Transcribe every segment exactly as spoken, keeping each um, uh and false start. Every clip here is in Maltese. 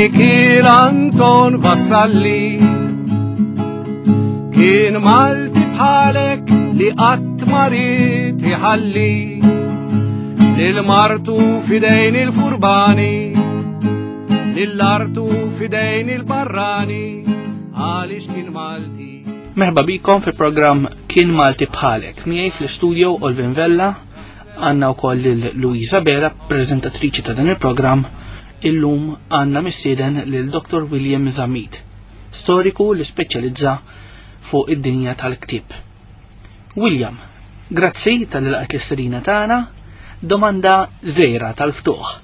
Mikiel Anton Vassalli. Kien Malti bħalek li qatt ma ried iħalli lil martu f'idejn il-furbani, lil artu f'idejn il-barrani, għaliex kien Malti. Merħba bikom fi programm Kien Malti Bħalek. Miegħi fl-studio Olvin Vella, għandna wkoll lil Luisa Bera, prezentatriċi ta' dan il-programm. Illum għandna mistieden lil Dottor William Zammit, storiku li speċjalizza fuq id-dinja tal-ktieb. William, grazzi talli lqajt l-istedina tagħna. Domanda żgħira tal-ftuħ.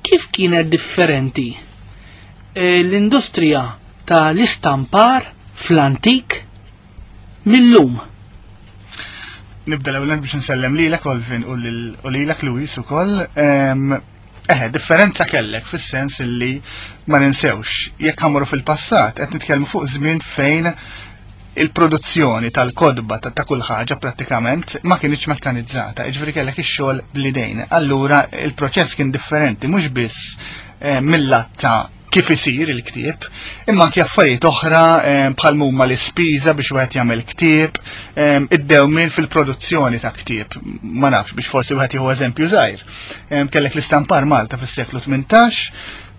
Kif kienet differenti eh, l-industrija tal-istampar fl-antik mill-lum? Nibda l-ewwel biex nsellem lilek, Olvin, u lil- u lilek, Luis, ukoll. Em, Eħe, differenza kellek fis-sens illi ma ninsewx, jekk ħa mmorru fil-passat, qed nitkellmu fuq żmien fejn il-produzzjoni tal-kotba ta' ta' kull ħaġa prattikament ma kienx mekkanizzata, jiġifieri kellek ix-xogħol bl-idejn. Allura il-proċess kien differenti mhux biss eh, mill-lat ta' kif isir il-ktieb, imma anke affarijiet oħra eh, bħal huma l-ispiża biex wieħed jagħmel ktieb, eh, id-dewmien fil-produzzjoni ta' ktieb. Ma nafx, biex forsi wieħed jieħu eżempju żgħir. Eh, Kellek l-istampar Malta fis-seklu tmintax,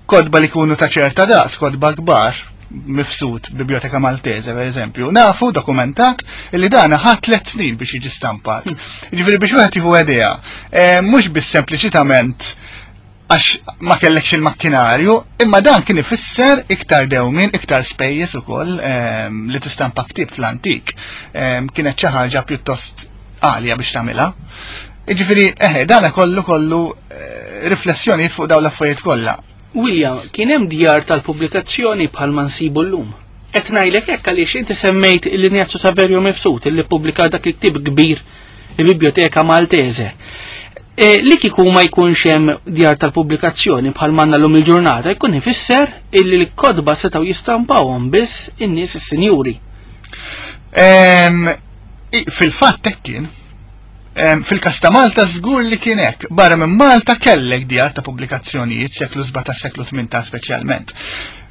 kotba li kunu ta' ċerta daqs, kotba kbar, Mifsud, Biblioteka Maltese, per eżempju, nafu dokumentat illi dana ħa tliet snin biex jiġi stampat. Ġifieri biex wieħed jieħu idea, eh, mhux biss sempliċitament għax ma kellekx il-makkinarju, imma dan kien ifisser iktar dewmin, iktar spejjeż ukoll ehm, li tistampa ktieb fl-antik. Ehm, Kienet xi ħaġa pjuttost għalja biex tagħmilha. Ġifieri, eħe, dana kollu kollu eh, riflessjoni fuq dawn l-affarijiet kollha. William, kien hemm djar tal-pubblikazzjoni bħal ma nsibu llum? Qed ngħidlek hekk għaliex inti semmejt l-Ignazio Saverio Mifsud illi ppubblika dak il-ktieb kbir, il-Biblioteka Maltese. E, li kieku ma jkunx hemm djar tal-pubblikazzjoni bħal m'għandna llum il-ġurnata, jkun ifisser illi l-kotba setgħu jistampawhom biss in-nies is-sinjuri. Em, i- Fil-fatt hekk kien. Em, Fil-kas ta' Malta żgur li kien hekk. Barra minn Malta kellek djar ta' pubblikazzjonijiet seklu sbatax, seklu tmintax speċjalment.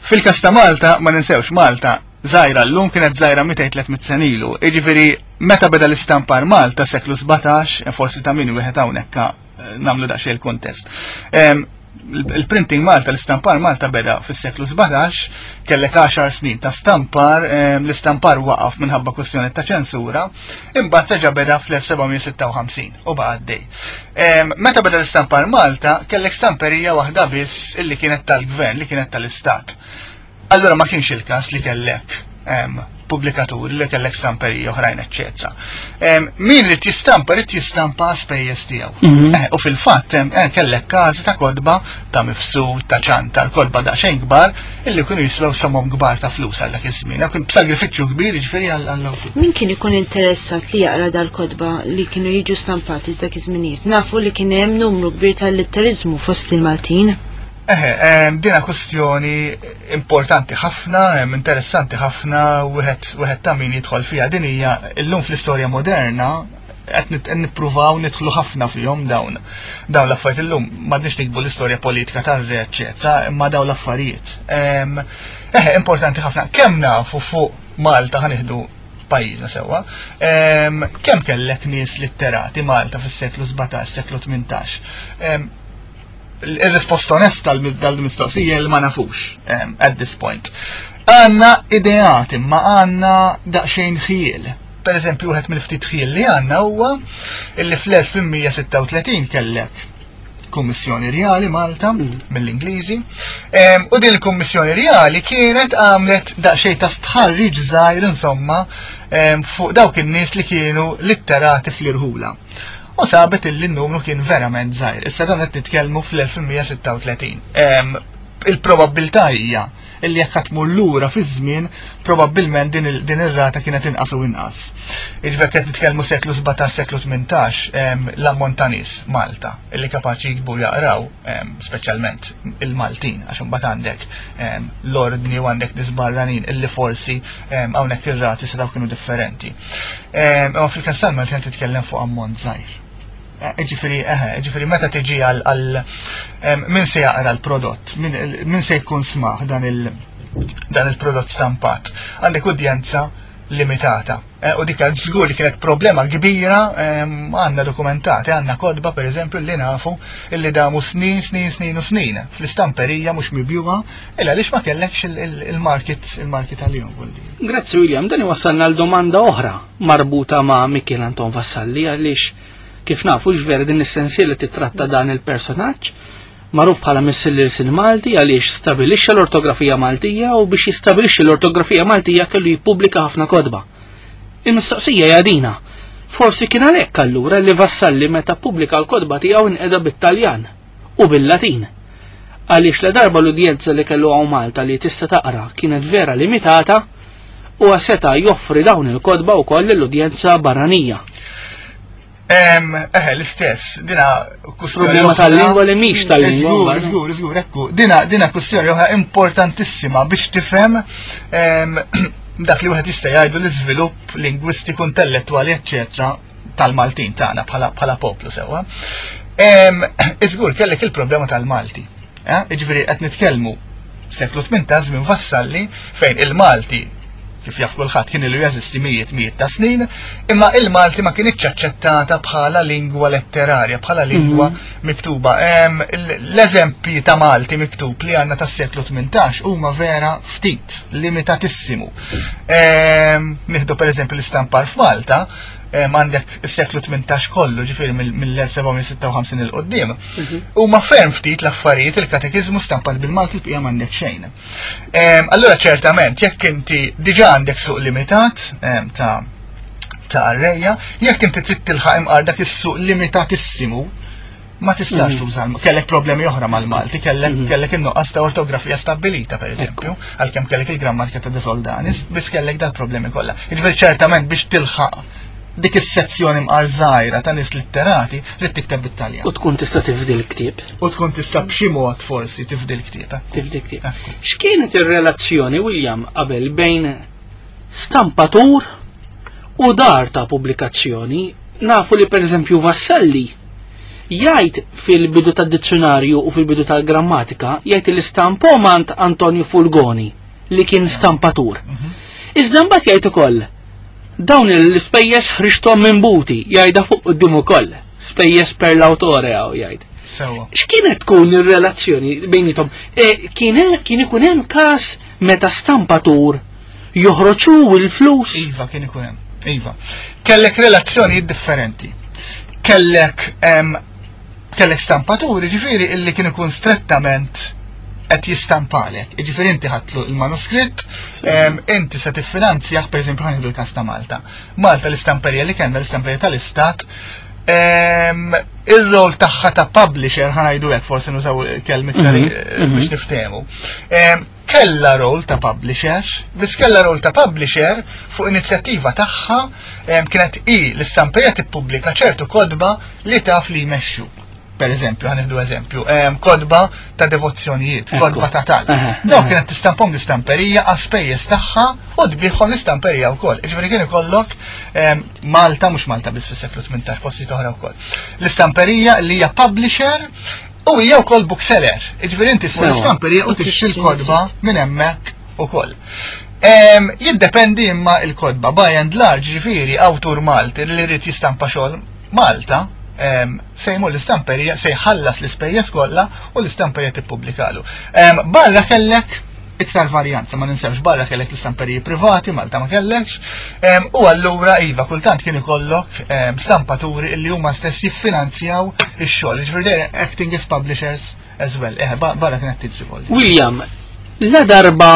Fil-kas ta' Malta, ma ninsewx, Malta żgħira llum kienet żgħira mitejn tliet mitt sena ilu. Jiġifieri meta beda l-istampar Malta seklu sbatax, forsi ta' min wieħed hawnhekk eh, nagħmlu daqsxejn il-kontest. Em, Il-printing Malta, l-istampar Malta beda fis-seklu sbatax, kellek għaxar snin ta' stampar, em, l-istampar waqaf minħabba kwestjoni ta' ċensura, imbagħad reġa' beda fl-elf seba' mija sitta u ħamsin u baqa' għaddej. Em, Meta beda l-istampar Malta, kellek stamperija waħda biss illi kienet tal-gvern, li kienet tal-istat. Allura ma kienx il-każ li kellek em, pubblikaturi, li kellek stamperija oħrajn, eċċetera. Em, Min irid jistampa, irid jistampa spejjeż tiegħu. Eh, U fil-fatt em, eh, kellek każi ta' kotba ta' Mifsud, ta' Ċantar, kotba daqsxejn kbar illi kienu jiswew somom kbar ta' flus għal dak iż-żmien. Kien b'sagrifiċċju kbir jiġifieri għall-awtur. Min kien ikun interessat li jaqra dal-kotba li kienu jiġu stampati dak iż-żminijiet? Nafu li kien hemm numru kbir tal-litterizmu fost il-Maltin. Eħe, em, dina kwestjoni importanti ħafna, em, interessanti ħafna, wieħed wieħed ta' min jidħol fiha. Din hija illum fl-istorja moderna qed nit- qed nippruvaw nidħlu ħafna fihom dawn dawn l-affarijiet illum m'għadniex nikbu l-istorja politika tar-re, eċċetera, imma dawn l-affarijiet. Em, Eħe, importanti ħafna. Kemm nafu fuq Malta, ħa nieħdu pajjiżna sewwa. Em, Kemm kellek nies litterati Malta fis-seklu sbatax, seklu tmintax? Em, Il-risposta onesta dal-mistoqsija li ma nafux um, at this point. Għandna ideat, imma għandna daqxejn ħjiel. Per eżempju, wieħed mill-ftit ħjiel li għandna huwa illi fl-elf tmien mija sitta u tletin kellek Kummissjoni Rjali Malta mill-Ingliżi. Em, U din il-Kummissjoni Rjali kienet għamlet daqsxejn ta' stħarriġ żgħir insomma em, fuq dawk in-nies li kienu litterati fl-irħula. U sabet illi n-numru kien verament żgħir. Issa dan qed nitkellmu fl-elf tmien mija sitta u tletin. Em, Il-probabbiltà hija illi jekk tmur lura fiż-żmien, probabbilment din il- din ir-rata kienet inqas u inqas. Jiġifieri qed nitkellmu seklu sbatax, seklu tmintax, em, l-ammont ta' nies Malta illi kapaċi jiktbu, jaqraw, em, speċjalment il-Maltin, għax imbagħad għandek em, l-ordni u għandek nies barranin illi forsi em, hawnhekk ir-rati setgħu kienu differenti. Em, Imma fil-każ tal-Maltin qed titkellem fuq ammont żgħir. Ġifieri, eħe, ġifieri meta tiġi għal għal min se jaqra l-prodott, min se jkun smaħ dan il dan il-prodott stampat. Għandek udjenza limitata. U dik żgur li kienet problema kbira, għandna dokumentati, għandna kotba per eżempju li nafu illi damu snin, snin, snin u snin fl-istamperija mhux mibjuha, illa għaliex ma kellekx il-market il-market għalihom. Grazzi William, dan iwassalna għal domanda oħra marbuta ma' Mikiel Anton Vassalli, għaliex kif nafu ġveri din is-sensiela titratta dan il-personaġġ magħruf bħala Missier l-Ilsien Malti għaliex stabilixxa l-ortografija Maltija, u biex jistabilixxi l-ortografija Maltija kellu jippubblika ħafna kotba. Il-mistoqsija hija dina. Forsi kien għalhekk allura li Vassalli meta ppubblika l-kotba tiegħu inqeda bit-Taljan u bil-Latin. Għaliex la darba l-udjenza li kellu hawn Malta li tista' taqra kienet vera limitata, u seta' joffri dawn il-kotba wkoll lill-udjenza barranija. Eħe, l-istess, dina kwestjoni. Problema tal-lingwa li mhix tal-lingwa. Żgur, żgur, żgur, ekku. Dina, dina kwestjoni oħra importantissima biex tifhem dak li wieħed jista' jgħidu l-iżvilupp lingwistiku, intellettwali, eċċetera tal-Maltin tagħna bħala poplu sewwa. Iżgur kellek il-problema tal-Malti. Jiġifieri qed nitkellmu seklu tmintax minn Vassalli fejn il-Malti, kif jaf kulħadd, kien ilu jeżisti mijiet mijiet ta' snin, imma il-Malti ma kienitx aċċettata bħala lingwa letterarja, bħala lingwa miktuba. L-eżempji ta' Malti miktub li għandna tas-seklu tmintax huma vera ftit, limitatissimu. Nieħdu pereżempju l-istampar f'Malta, għandek is-seklu tmintax kollu, ġifieri mill-elf sebgħamija sitta u ħamsin il qoddim. Huma ferm ftit l-affarijiet, il-katekiżmu stampat bil-Malti, l-bqija m'għandek xejn. Allura ċertament, jekk inti diġà għandek suq limitat ta' ta' qarrejja, jekk inti trid tilħaq imqar dak is-suq limitatissimu, ma tistax tuża, kellek problemi oħra mal-Malti, kellek kellek in-nuqqas ta' ortografija stabbilita, per eżempju, għalkemm kellek il-grammatika ta' De Soldanis, biss kellek dal-problemi kollha. Jiġifieri ċertament biex tilħaq dik is-sezzjoni mqar żgħira ta' nies litterati trid tikteb bit-Taljan. U tkun tista' tifdi l-ktieb. U tkun tista' b'xi mod forsi tifdi l-ktieb. Tifdi l-ktieb. X'kienet ir-relazzjoni, William, qabel bejn stampatur u dar ta' pubblikazzjoni? Nafu li pereżempju Vassalli jgħid fil-bidu tad-dizzjonarju u fil-bidu tal-grammatika, jgħid li stampomant Antonio Fulgoni li kien stampatur. Iżda mbagħad jgħid ukoll dawn l-ispejjeż ħriġthom minn buti, jgħidha fuq quddiem ukoll, spejjeż per l-autore hawn jgħid. Sewa. X'kienet tkun ir-relazzjoni bejnietom? Kien, kien ikun hemm każ meta stampatur joħroġu l-flus? Iva, kien ikun hemm. Iva. Kellek relazzjonijiet differenti. Kellek, kellek stampaturi, ġifieri illi kien ikun strettament qed jistampalek. Jiġifieri inti ħadtlu il-manuskritt, inti se tiffinanzjah, pereżempju ħa nieħdu l-każ ta' Malta. Malta l-istamperija li kellna, l-istamperija tal-Istat, ir-rol tagħha ta' publisher, ħa ngħidu hekk, forsi nużaw kelmi iktar biex niftehmu. Kella rol ta' publisher, biss kella rol ta' publisher fuq inizjattiva tagħha, kienet i l-istamperija tippubblika ċertu kotba li taf li jmexxu. Per eżempju, ħa nieħdu eżempju, kotba ta' devozzjonijiet, kotba ta' tal. Dawk kienet tistampom l-istamperija għas-spejjeż tagħha u tbieħhom l-istamperija wkoll. Jiġifieri kien ikollok Malta, mhux Malta biss fis-seklu tmintax, postijiet oħra wkoll. L-istamperija li hija publisher u hija wkoll bookseller. Jiġifieri inti tmur l-istamperija u tixtri l-kotba minn hemmhekk ukoll. Jiddependi imma l-kotba, by and large, ġifieri awtur Malti li jrid jistampa xogħol Malta, se jmur l-istamperija, se jħallas l-ispejjeż kollha u l-istamperija tippubblikalu. Barra kellek iktar varjanza, ma ninsewx, barra kellek l-istamperiji privati, Malta ma kellekx, u allura iva kultant kien ikollok stampaturi li huma stess jiffinanzjaw ix-xogħol, jiġifieri they're acting as publishers as well. Eh, barra kienet tiġi wkoll. William, la darba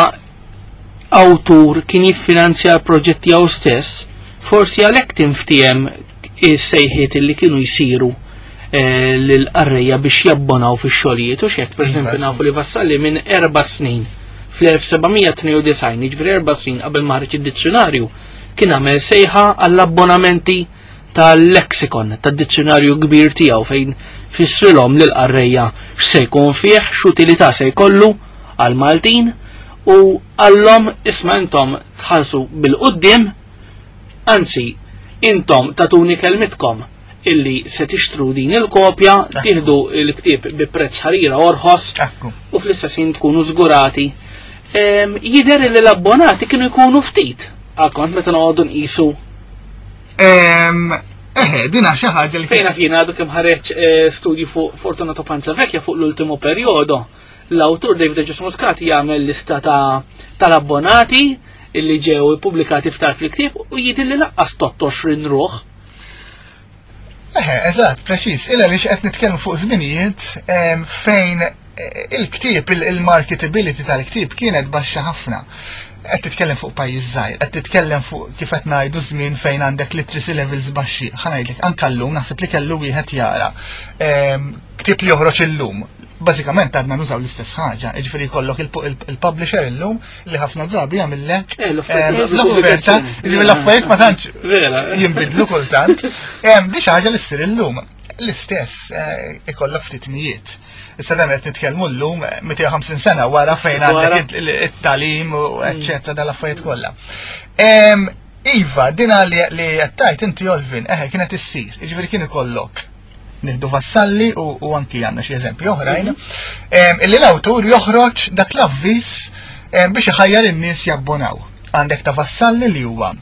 awtur kien jiffinanzja l-proġett tiegħu stess, forsi għalhekk tinftiehem is-sejħiet li kienu jsiru eh, lill-qarrejja biex jabbonaw fix-xogħlijiet u x'hekk, pereżempju Iva, nafu li Vassalli minn erba' snin fl-elf sebgħamija tnejn u disgħin, jiġifieri erba' snin qabel ma ħareġ id-dizzjonarju, kien għamel sejħa għall-abbonamenti tal-lexikon, tad-dizzjonarju kbir tiegħu fejn fissrilhom lill-qarrejja x'se jkun fih, x'utilità se jkollu għall-Maltin u għallhom isma' intom tħallsu bil-quddiem, anzi intom tatuni kelmitkom Illi se tixtru din il-kopja, tieħdu il-ktieb bi prezz ħarira orħos u fl-istess ħin tkunu żgurati. Jidher li l-abbonati kienu jkunu ftit, għakont meta noqogħdu nqisu. Eħe, dina xi ħaġa li fejna fjina għadu kemm ħareġ eh, studju fuq Fortunato Panzavecchia fuq l-ultimo perjodo. L-awtur David Ġus Muscat jagħmel lista tal-abbonati illi ġew ippubblikati ftar fil-ktieb u jidher li laqqas tot għoxrin ruħ. Eħe, eżatt, preċiż. Illa li qed nitkellmu fuq żminijiet fejn eh, il-ktieb, il-marketability tal-ktieb kienet baxxa ħafna. Qed titkellem fuq pajjiż żgħir, qed titkellem fuq kif qed ngħidu żmien fejn għandek literacy levels baxxi. Ħa ngħidlek anke llum naħseb li kellu wieħed jara ktieb li joħroġ illum. Bażikament għadna nużaw l-istess ħaġa, jiġifieri jkollok il-publisher illum li ħafna drabi jagħmillek eh, l-offerta, jiġifieri l-affarijiet ma tantx jinbidlu kultant. Di xi ħaġa li ssir illum. L-istess eh, ikollok ftit mijiet. Issa dan qed nitkellmu llum mitejn u ħamsin sena wara fejn għandek it-talim u eċċetera dal-affarijiet kollha. Iva, dina li qed tgħid inti Olvin, eħe kienet issir, jiġifieri kien ikollok nieħdu Vassalli u, u anki għandna xi eżempji oħrajn, illi l-awtur joħroġ dak l-avviż biex iħajjar in-nies jabbonaw. Għandek ta' Vassalli li huwa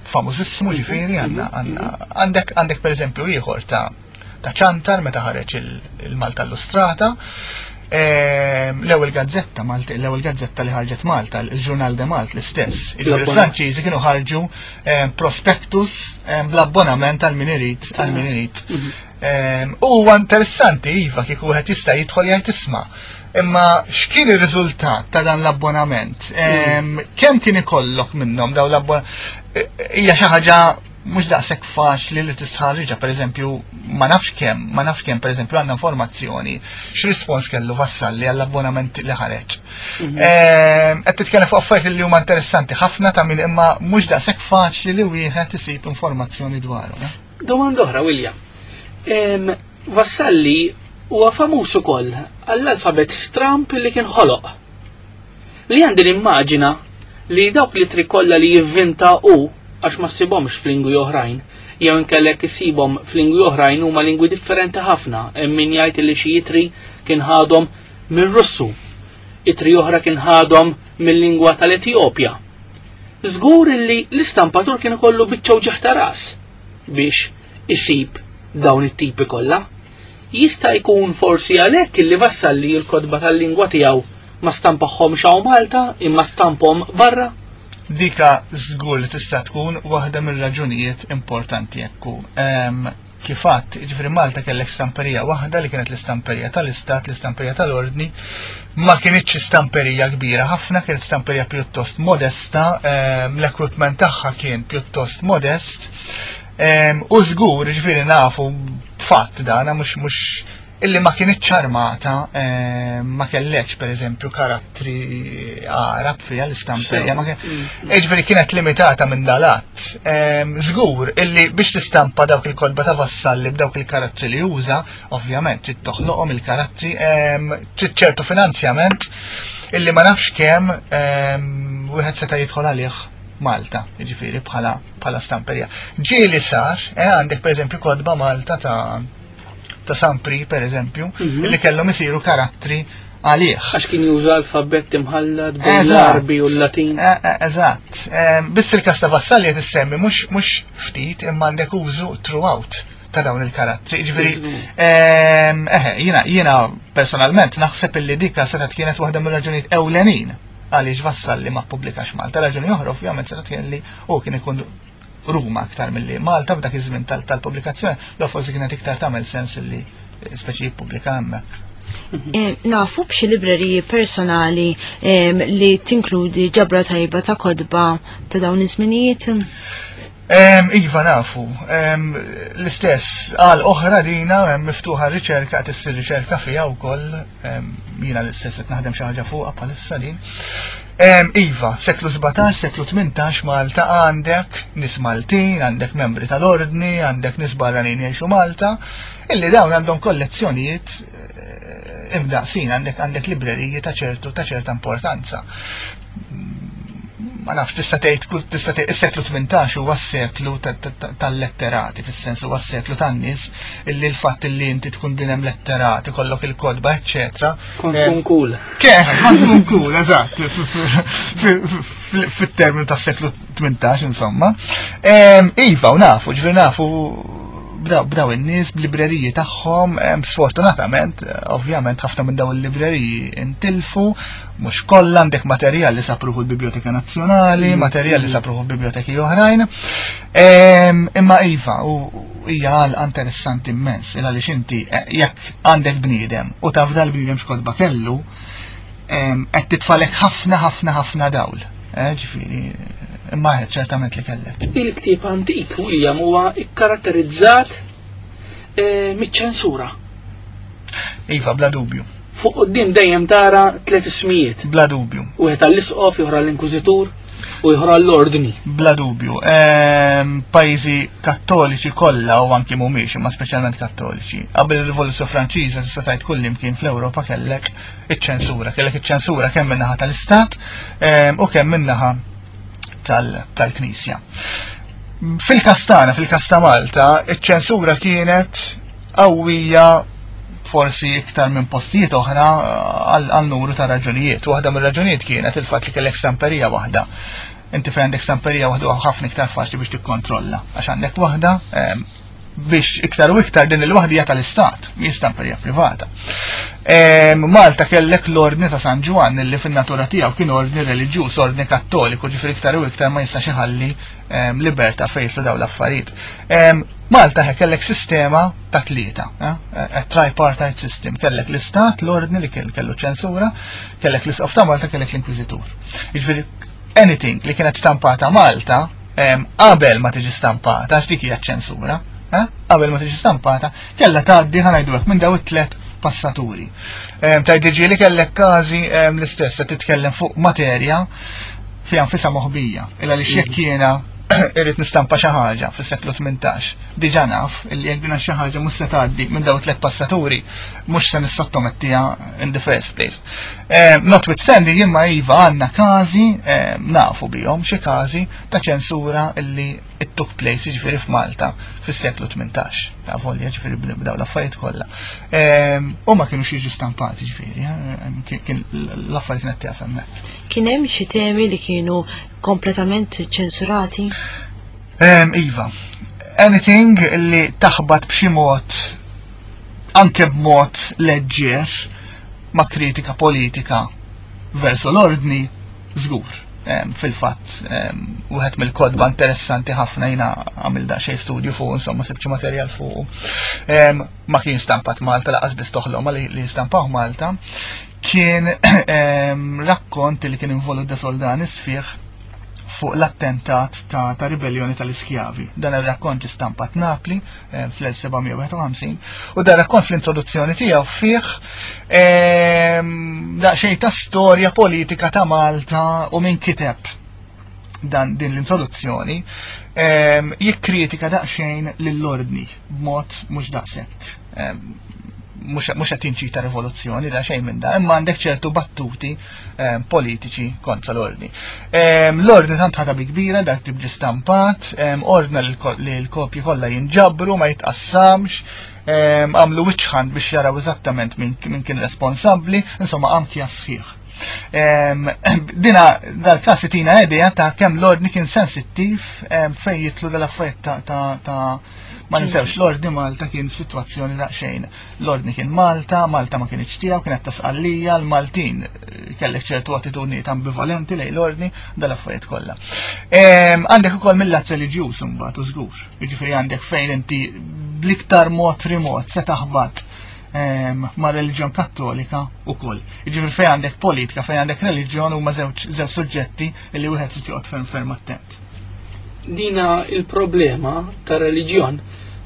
famużissimu, ġifieri għandna għandek għandek pereżempju ieħor ta' ta' Ċantar meta ħareġ il-Malta Illustrata. L-ewwel gazzetta Malta, l-ewwel gazzetta li ħarġet Malta, il-Ġurnal de Malt l-istess. Il-Franċiżi kienu ħarġu prospektus bl-abbonament għal min irid, għal min irid. U huwa interessanti iva kieku wieħed jista' jidħol jgħid isma'. Imma x'kien ir-riżultat ta' dan l-abbonament? Kemm kien ikollok minnhom daw l-abbonament? Hija xi ħaġa mhux daqshekk faċli li tistħarriġha, pereżempju, ma nafx kemm, ma nafx kemm pereżempju għandna informazzjoni x'rispons kellu Vassalli għall-abbonament li ħareġ. Qed titkellem fuq affarijiet li huma interessanti ħafna ta' min imma mhux daqshekk faċli li wieħed isib informazzjoni dwaru. Domanda oħra, William. Vassalli huwa famuż ukoll għall-alfabet stramp li kien ħoloq. Li għandi nimmaġina li dawk li tri kollha li jivvinta hu għax ma ssibhomx f'lingwi oħrajn, jew inkellek issibhom f'lingwi oħrajn huma lingwi differenti ħafna. Hemm min jgħid li xi itri kien ħadhom mir-Russu, itri oħra kien ħadhom mill-lingwa tal-Etjopja. Żgur li l-istampatur kien ikollu biċċa wġigħ ta' ras biex isib dawn it-tipi kollha. Jista' jkun forsi għalhekk illi Vassalli l-kotba tal-lingwa tiegħu ma stampahomx hawn Malta imma stamphom barra? Dika żgur li tista' tkun waħda mir-raġunijiet importanti ekku. Kif għadt, jiġifieri Malta kellek stamperija waħda li kienet l-istamperija tal-Istat, l-istamperija tal-Ordni, ma kienitx stamperija kbira ħafna, kienet stamperija pjuttost modesta, l-equipment tagħha kien pjuttost modest. U żgur, jiġifieri nafu fatt dana mhux mhux illi ma kienitx armata, ma kellekx pereżempju karattri Arab fiha l-istamperija, ma kien- jiġifieri kienet limitata minn dalat. Żgur illi biex tistampa dawk il-kotba ta' Vassalli b'dawk il-karattri li uża, ovvjament trid toħloqhom il-karattri, trid ċertu finanzjament illi ma nafx kemm wieħed seta' jidħol għalih Malta, jiġifieri bħala, bħala stamperija. Ġieli sar, eh, għandek pereżempju kotba Malta ta' ta' Sampri, per eżempju, Mhm. li kellhom isiru karattri għalih. Għax kien juża alfabett imħallat bejn Eżatt. l-Arbi u l-Latin. Eh, eh, eżatt. Eh, biss fil-każ ta' Vassalli qed issemmi mhux, mhux ftit imma għandek użu throughout ta' dawn il-karattri. Jiġifieri, Żgur. ehm, eħe, jiena, jiena personalment naħseb illi dika setgħet kienet waħda mir-raġunijiet ewlenin għaliex Vassalli ma ppubblikax Malta. Raġuni oħra ovvjament setgħet kien li hu kien ikun Ruma aktar milli Malta f'dak iż-żmien tal-, tal-pubblikazzjoni, l forsi kienet iktar tagħmel sens illi speċi jippubblika hemmhekk. Eh, nafu b'xi libreriji personali, em, li tinkludi ġabra tajba ta' kotba ta' dawn iż-żminijiet? Em, Iva nafu. Em, l-istess għal oħra dina em, miftuħa riċerka, qed issir riċerka fiha wkoll, em, jiena l-istess qed naħdem xi ħaġa fuqha bħalissa din. Em, Iva, seklu sbatax, seklu tmintax Malta għandek nies Maltin, għandek membri tal-ordni, għandek nies barranin jgħixu Malta, illi dawn għandhom kollezzjonijiet, eh, imdaqsin, għandek, għandek libreriji ta' ċertu, ta' ċerta importanza. Ma nafx, tista' tgħid kull tista' tgħid is-seklu tmintax huwa s-seklu tal-letterati, fis-sens huwa s-seklu tan-nies illi l-fatt illi inti tkun bniedem letterat, ikollok il-kotba, eċċetera. Kont tkun cool. Kien, kont tkun cool, eżatt, fit-terminu tas-seklu tmintax, insomma. Iva, u nafu, ġifieri nafu bdaw in-nies b'libreriji tagħhom, sfortunatament, ovvjament ħafna minn daw il-libreriji intilfu, mhux kollha. Għandek materjal li sapruħu l-Biblioteka Nazzjonali, materjal li sapruħu biblioteki oħrajn. Imma iva, u hija għal interessanti immens, il għaliex inti jekk għandek bniedem u taf dal-bniedem x'kotba kellu, qed titfalek ħafna ħafna ħafna dawl. Ġifieri, imma ċertament li kellek. Il-ktieb antik, William, huwa ikkaratterizzat miċ-ċensura. Iva, bla dubju. Fuq quddiem dejjem tara tliet ismijiet. Bla dubju. Wieħed għall-isqof, ieħor għall-inkwiżitur u ieħor għall-ordni. Bla dubju. Pajjiżi kattoliċi kollha u anki mhumiex, imma speċjalment kattoliċi. Qabel ir-Rivoluzzjoni Franċiża tista' tgħid kull imkien fl-Ewropa kellek iċ-ċensura. Kellek iċ-ċensura kemm min-naħa tal-Istat u kemm min-naħa tal-Knisja. Fil-każ tagħna, fil-każ ta' Malta, iċ-ċensura kienet qawwija forsi iktar minn postijiet oħra għal numru ta' raġunijiet. Waħda mir-raġunijiet kienet il-fatt li kellek stamperija waħda. Inti fejn għandek stamperija waħda ħafna iktar faċli biex tikkontrolla, għax għandek waħda biex iktar u iktar din il-waħda hija tal-Istat, mhijiex stamperija privata. Malta kellek l-Ordni ta' San Ġwann li fin-natura tiegħu kien ordni reliġjuż, ordni kattoliku, ġifieri iktar u iktar ma jistax iħalli libertà fejn jidħlu dawn l-affarijiet. Malta kellek sistema ta' tlieta, a tripartite system, kellek l-Istat, l-ordni li kellu ċensura, kellek l-Isqof ta' Malta, kellek l-Inkwiżitur. Jiġifieri anything li kienet stampata Malta qabel ma tiġi stampata, għax dik hija ċensura, qabel ma tiġi stampata, kellha tgħaddi, ħa ngħidu hekk, minn daw it-tliet passaturi. Tgħid li kellek każi l-istess se titkellem fuq materja fiha nfisha moħbija, illa li jekk jiena irrid nistampa xi ħaġa fis-seklu tmintax, diġà naf illi jekk dina xi ħaġa mhux se tgħaddi minn dawn tliet passaturi, mhux se nissottomettiha in the first place. Notwithstanding, imma iva, għandna każi, nafu bihom xi każi ta' ċensura illi it took place, jiġifieri, f'Malta fis-seklu tmintax. Avolja, ġifieri, b'daw l-affarijiet kollha. U ma kienu jiġu stampati, ġifieri, kien l-affarijiet kienet tieqaf hemmhekk. Kien hemm xi temi li kienu kompletament ċensurati? Iva, anything li taħbat b'xi mod, anke b'mod leġġer, ma' kritika politika verso l-ordni, żgur. Fil-fatt, wieħed mill-kotba interessanti ħafna, jiena għamilt daqsxejn studju fuq, insomma, sibċi materjal fuq. Ma kien stampat Malta, lanqas biss toħlom li, li stampaw Malta, kien rakkont li kien involut De Soldanis fih fuq l-attentat ta', ta ribellioni tal-iskjavi. Dan il-rakkont ġi stampat Napli eh, fl-elf seba' mija wieħed u ħamsin u dan rakkont fl-introduzzjoni tiegħu fih daqsxejn ta' storja politika ta' Malta u min kiteb dan din l-introduzzjoni jikkritika daqsxejn lill-ordni b'mod mhux daqshekk, mhux qed jinċita rivoluzzjoni da xejn minn da, imma għandek ċertu battuti politiċi kontra l-ordni. L-ordni tant ħadha bi kbira dak tibġi stampat, ordna li l-kopji kollha jinġabru, ma jitqassamx, għamlu witch hunt biex jaraw eżattament min kien responsabbli, insomma anki sħiħ. Dina dal-każ tina idea ta' kemm l-ordni kien sensittiv fejn jidħlu dal-affarijiet ta' ta' ma ninsewx, l-ordni Malta kien f'sitwazzjoni daqsxejn. L-ordni kien Malta, Malta ma kienx tiegħu, kienet ta' Sqallija, l-Maltin kellek ċertu attitudnijiet ambivalenti lejn l-ordni, dal-affarijiet kollha. Għandek ukoll mill-lat reliġjuż imbagħad u żgur. Jiġifieri għandek fejn inti bl-iktar mod remot se taħbat ma' reliġjon kattolika ukoll. Jiġifieri fejn għandek politika, fejn għandek reliġjon, huma żewġ suġġetti li wieħed trid joqgħod ferm ferm attent. Dina il-problema ta' reliġjon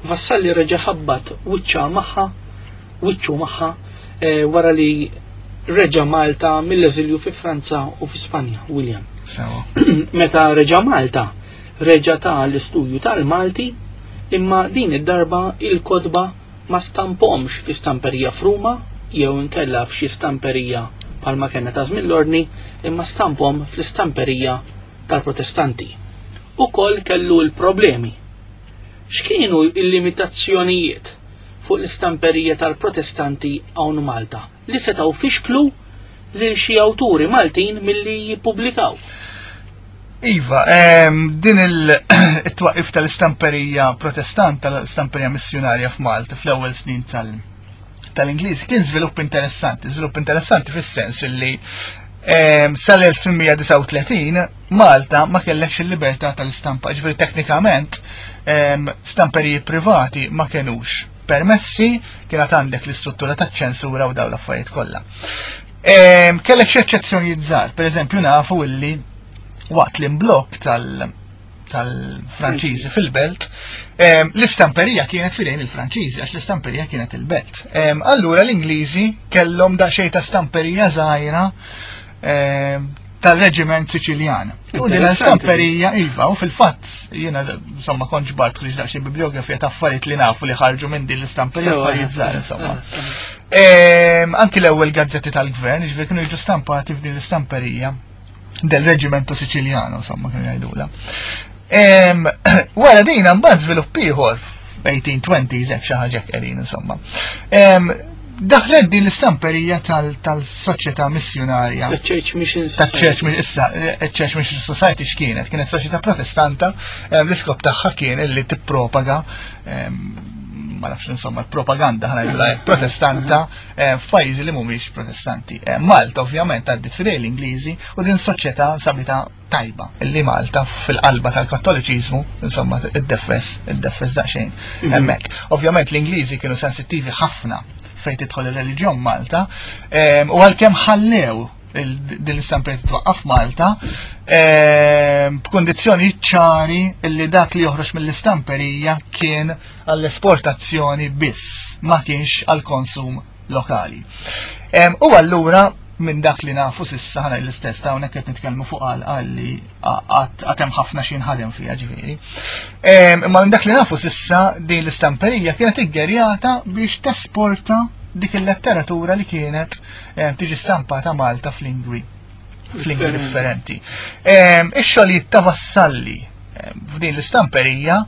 Vassalli reġa' ħabbat wiċċa magħha, wiċċu magħha eh, wara li reġa' Malta mill-eżilju fi Franza u fi Spanja, William. Sewa. Meta reġa' Malta, reġa' ta' l-istudju tal-Malti, imma din id-darba il-kotba ma stampomx fi stamperija f'Ruma jew inkella f'xi stamperija bħalma kellna ta' żmien l-ordni, imma stampom fl-istamperija tal-Protestanti. Ukoll kellu l-problemi. X'kienu l-limitazzjonijiet fuq l-istamperija tal-Protestanti hawn Malta li setgħu fixklu lil xi awturi Maltin milli jippubblikaw? Iva, ehm, din il-twaqif tal-istamperija protestant, tal-istamperija missjonarja f'Malta fl-ewwel snin tal- tal-Ingliż kien żvilupp interessanti, żvilupp interessanti fis-sens illi ehm, sal-elf tmien mija disgħa u tletin Malta ma kellekx il-libertà tal-istampa, ġifieri teknikament ehm, stamperiji privati ma kenux permessi, kienet għandek l-istruttura taċ-ċensura u dawn l-affarijiet kollha. Ehm, kellek xi eċċezzjonijiet żgħar, pereżempju nafu illi waqt l-imblokk tal-, tal-Franċiżi fil-belt, ehm, l-istamperija kienet fidejn il-Franċiżi, għax l-istamperija kienet il-belt. Ehm, allura l-Ingliżi kellhom daqsxejn ta' stamperija żgħira, ehm, tal-reġiment Siċiljan. U din l-istamperija, iva, u fil-fatt, jiena, insomma, kont ġbart ħriġ daqsxejn bibliografija ta' affarijiet li nafu li ħarġu minn din l-istamperija, Sewa. affarijiet żgħar, insomma. Eh, eh. Ehm, anki l-ewwel gazzetti tal-gvern, ġifieri kienu jiġu stampati f'din l-istamperija del Reggimento Siciliano, insomma, kienu jgħidula. Ehm, wara din mbagħad żvilupp ieħor f'eighteen twenties hekk xi ħaġa hekk qegħdin, insomma. Ehm, daħlet din l-istamperija tal-, tal-soċjetà missjonarja. Ta' Church Mission Ta' Church Society. Mission, issa, eh, Church Mission Society x'kienet? Kienet soċjetà protestanta, ehm, l-iskop tagħha kien illi tippropaga, ehm, ma nafx insomma, propaganda ħa ngħidu hekk, protestanta, eh, f'pajjiżi li mhumiex protestanti. Eh, Malta ovvjament għaddit f'idej l-Ingliżi u din soċjetà sabita tajba illi Malta fil-qalba tal-Kattoliċiżmu, insomma, id-defes, id-defes daqsxejn Mhm. hemmhekk. Ovvjament l-Ingliżi kienu sensittivi ħafna fejn tidħol ir-reliġjon Malta, ehm, u għalkemm ħallew il-, din l-istamperija titwaqqaf Malta, ehm, b'kundizzjoni ċari illi dak li joħroġ mill-istamperija kien għall-esportazzjoni biss, ma kienx għall-konsum lokali. Ehm, u allura minn dak li nafu sissa ħana l-istess ta' hawnhekk qed nitkellmu fuq għal għalli għad hemm ħafna xi nħadem fiha ġifieri. Ehm, imma minn dak li nafu sissa din l-istamperija kienet iggerjata biex tesporta dik il-letteratura li kienet, ehm, tiġi stampata Malta f'lingwi f'lingwi differenti. Ehm, ix-xogħlijiet ta' Vassalli, ehm, f'din l-istamperija,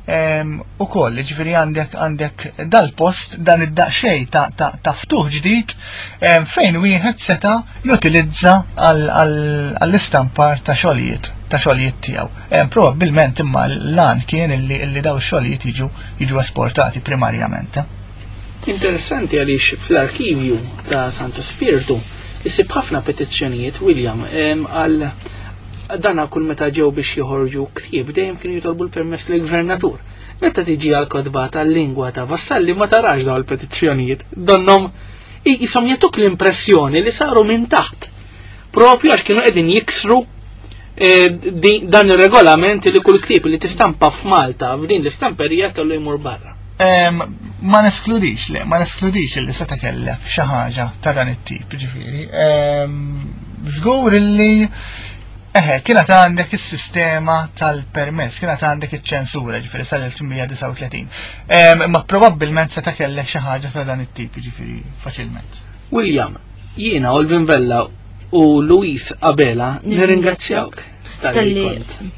ehm, ukoll, ġifieri għandek, għandek dal-post dan id-daqsxejn ta', ta', ta' ftuħ ġdid, ehm, fejn wieħed seta' jutilizza għal-, għal-, għall-istampar ta' xogħlijiet ta' xogħlijiet tiegħu. Ehm, probabbilment imma l-lan kien illi, illi daw ix-xogħlijiet jiġu, jiġu esportati primarjament. Interessanti għaliex fl-arkivju ta' Santo Spirtu isib ħafna petizzjonijiet, William, em, għal dana kull meta ġew biex joħorġu ktieb dejjem kienu jitolbu l-permess lill-gvernatur. Meta tiġi għal kotba tal-lingwa ta' Vassalli ma tarax dawn il-petizzjonijiet. Donnom jisom jagħtuk l-impressjoni li saru minn taħt. Propju għax kienu qegħdin jiksru, eh, di-, dan ir-regolament li kull ktieb li tistampa f'Malta f'din l-istamperija kellu jmur barra. Em, ma neskludix, le, ma neskludix li seta' kellek xi ħaġa ta' dan it-tip, ġifieri. Em, żgur illi eħe, kienet għandek is-sistema tal-permess, kienet għandek iċ-ċensura, ġifieri sal-elf tmien mija disgħa u tletin. Em, imma probabbilment seta' kellek xi ħaġa ta' dan it-tip, ġifieri faċilment. William, jiena Olvin Vella u Luis Abela nirringrazzjawk tal-li Tal-li kont.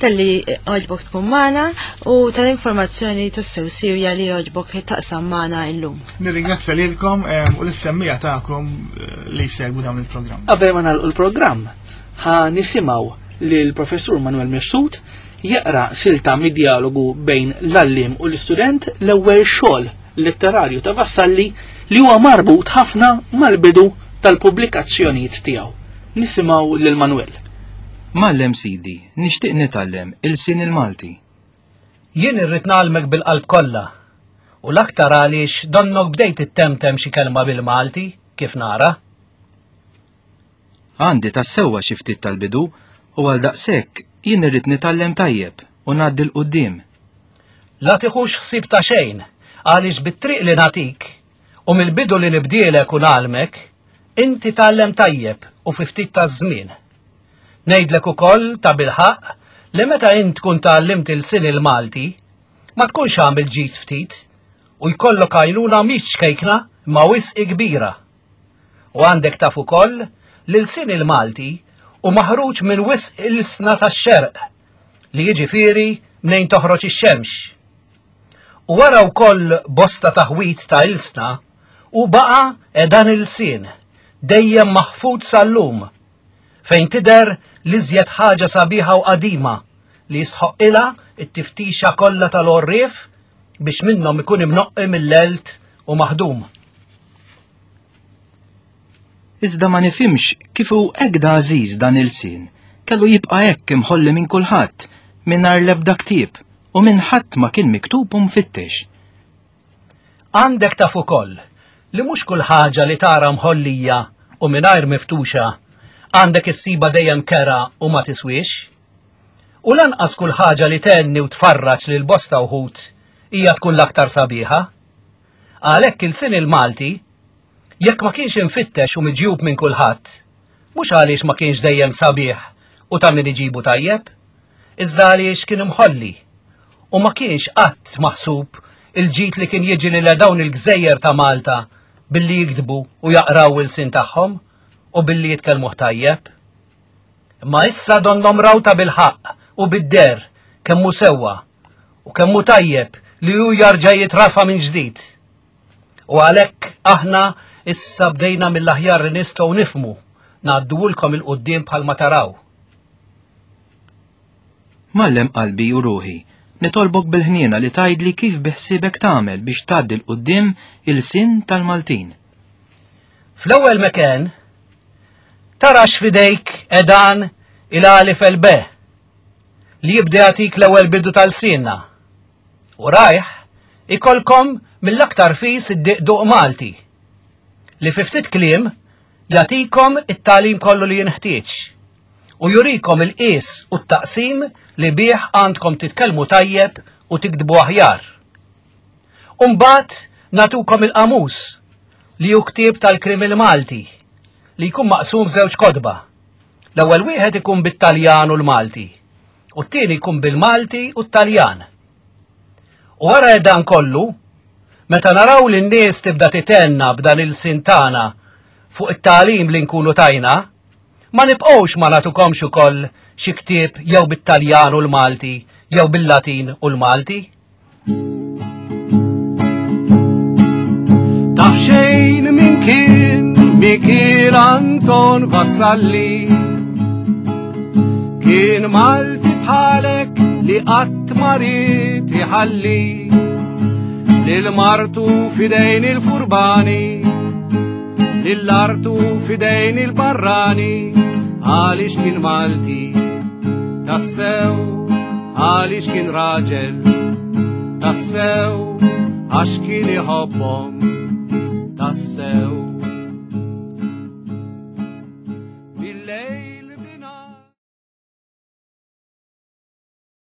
Tal-li għoġbok tkun magħna u tal-informazzjoni tassew sirja li għoġbok taqsam magħna illum. Nirringrazzja lilkom, em, u l-semmija tagħkom, eh, li jsegwu dawn il-programm. Qabel ma nagħlqu l-programm, ħa nisimgħu lil professur Manuel Mifsud jaqra silta mid-dialogu bejn l-għalliem u l-istudent, l-ewwel xogħol letterarju ta' Vassalli li huwa marbut ħafna mal-bidu tal-pubblikazzjonijiet tiegħu. Nisimgħu lil Manuel. Mgħallem sidi, nixtieq nitgħallem il-sin il-Malti. Jien irrid ngħallmek bil-qalb kollha. U l-aktar għaliex donnok bdejt ittemtem xi kelma bil-Malti, kif nara. Għandi tas-sewwa xi ftit tal-bidu u għal daqshekk jien irrid nitgħallem tajjeb u ngħaddi 'l quddiem. La tiħux ħsieb ta' xejn, għaliex bit-triq li nagħtik u mill-bidu li nibdielek u ngħallmek, inti tgħallem tajjeb u fi ftit ta' żmien. Ngħidlek ukoll ta' bilħaq li meta int tkun tgħallimt il-sin il-Malti, ma tkunx għamil ġid ftit u jkollok għajnuna mhix ċkejkna ma wisq kbira. U għandek taf ukoll li l-sin il-Malti u maħruġ minn wisq il-sna tax-xerq, li jiġifieri mnejn toħroġ ix-xemx. U wara wkoll bosta taħwit ta' ilsna, u baqa' dan il-sin, dejjem maħfud sal-lum, fejn tidher l-iżjed ħaġa sabiħa u qadima li jistħoqqilha t-tiftixa kollha tal-għorrief biex minnhom ikun imnoqqi mill-għelt u maħdum. Iżda ma nifhimx kif hu hekk da għażiż dan il-sin, kellu jibqa' hekk imħolli minn kulħadd, mingħajr l-ebda ktieb, u minn ħadd ma kien miktub u mfittex. Għandek taf ukoll li mhux kull ħaġa li tara mħollija u mingħajr miftuxa għandek issibha dejjem kera u ma tiswiex. U lanqas kull ħaġa li tenni u tfarraġ lil bosta wħud hija tkun l-aktar sabiħa. Għalhekk il-sin il-Malti, jekk ma kienx infittex u miġjub minn kulħadd, mhux għaliex ma kienx dejjem sabiħ u ta' min iġibu tajjeb, iżda għaliex kien imħolli u ma kienx qatt maħsub il-ġid li kien jiġi lil dawn il-gżejjer ta' Malta billi jiktbu u jaqraw il-sin tagħhom u billi jitkellmuh tajjeb. Imma issa donnhom raw ta' bil-ħaqq u bid-der kemm hu sewwa u kemm hu tajjeb li hu jarġa' jitrafa' minn ġdid. U għalhekk aħna issa bdejna mill-aħjar li nistgħu nifhmu ngħadduhulkom il-quddiem bħalma taraw. Mgħallem qalbi u ruħi, nitolbok bil-ħniena li tgħidli kif biħsiebek tagħmel biex tgħaddi l-quddiem il-sin tal-Maltin. Fl-ewwel mekan tarax f'idejk edan il-alif el be li jibda jagħtik l-ewwel bidu tal-sinna. U rajh ikolkom mill-aktar fis id-diqduq Malti li fi ftit kliem jagħtikom it-tagħlim kollu li jinħtieġ u jurikom il-qies u t-taqsim li bih għandkom titkellmu tajjeb u tiktbu aħjar. U mbagħad nagħtukom il-qamus li hu ktieb tal-krim il-Malti li jkun maqsum f'żewġ kotba. L-ewwel wieħed ikun bit-Taljan u l-Malti u t-tieni jkun bil-Malti u t-Taljan. U wara dan kollu, meta naraw li n-nies tibda titenna b'dan il-sin tagħna fuq it-tagħlim li nkunu tajna, ma nibqgħux ma nagħtukomx ukoll xi ktieb jew bit-Taljan u l-Malti jew bil-Latin u l-Malti. Taf xejn min kien Mikiel Anton Vassalli, kien Malti bħalek li qatt ma ried iħalli lil martu f'idejn il-furbani, lil artu f'idejn il-barrani, għaliex kien Malti tassew, għaliex kien raġel tassew, għax kien iħobbhom tassew.